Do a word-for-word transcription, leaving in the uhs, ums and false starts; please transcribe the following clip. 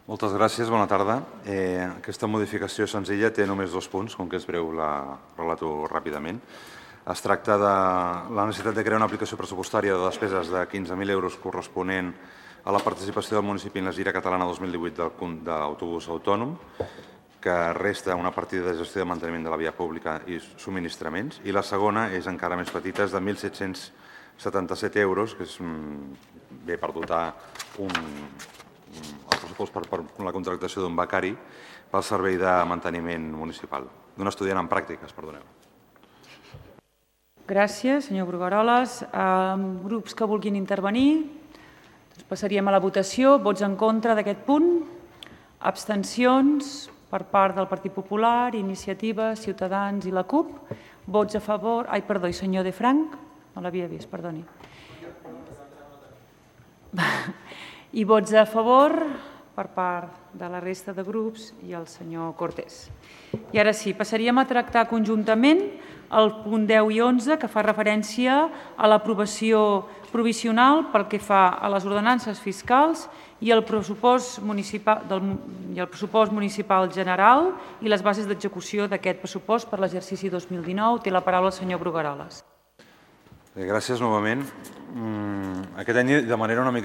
Moltes gràcies, bona tarda. Eh, aquesta modificació senzilla té només dos punts, com que és breu la relato ràpidament. Es tracta de la necessitat de crear una aplicació pressupostària de despeses de quinze mil euros corresponent a la participació del municipi en la Gira Catalana dos mil divuit d'autobús autònom, que resta una partida de gestió de manteniment de la via pública i subministraments, i la segona és encara més petita, és de mil set-cents setanta-set euros, que és bé per dotar un, el pressupost per, per la contractació d'un becari pel servei de manteniment municipal, d'un estudiant en pràctiques, perdoneu. Gràcies, senyor Brugueroles. Eh, grups que vulguin intervenir, doncs passaríem a la votació. Vots en contra d'aquest punt? Abstencions per part del Partit Popular, Iniciativa, Ciutadans i la CUP. Vots a favor... Ai, perdó, i senyor De Franc? No l'havia vist, perdoni. I vots a favor per part de la resta de grups i el senyor Cortés. I ara sí, passaríem a tractar conjuntament el punt deu i onze, que fa referència a l'aprovació provisional pel que fa a les ordenances fiscals i el pressupost municipal, del, i el pressupost municipal general i les bases d'execució d'aquest pressupost per l'exercici dos mil dinou. Té la paraula el senyor Brugueroles. Gràcies novament. Aquest any, de manera una mica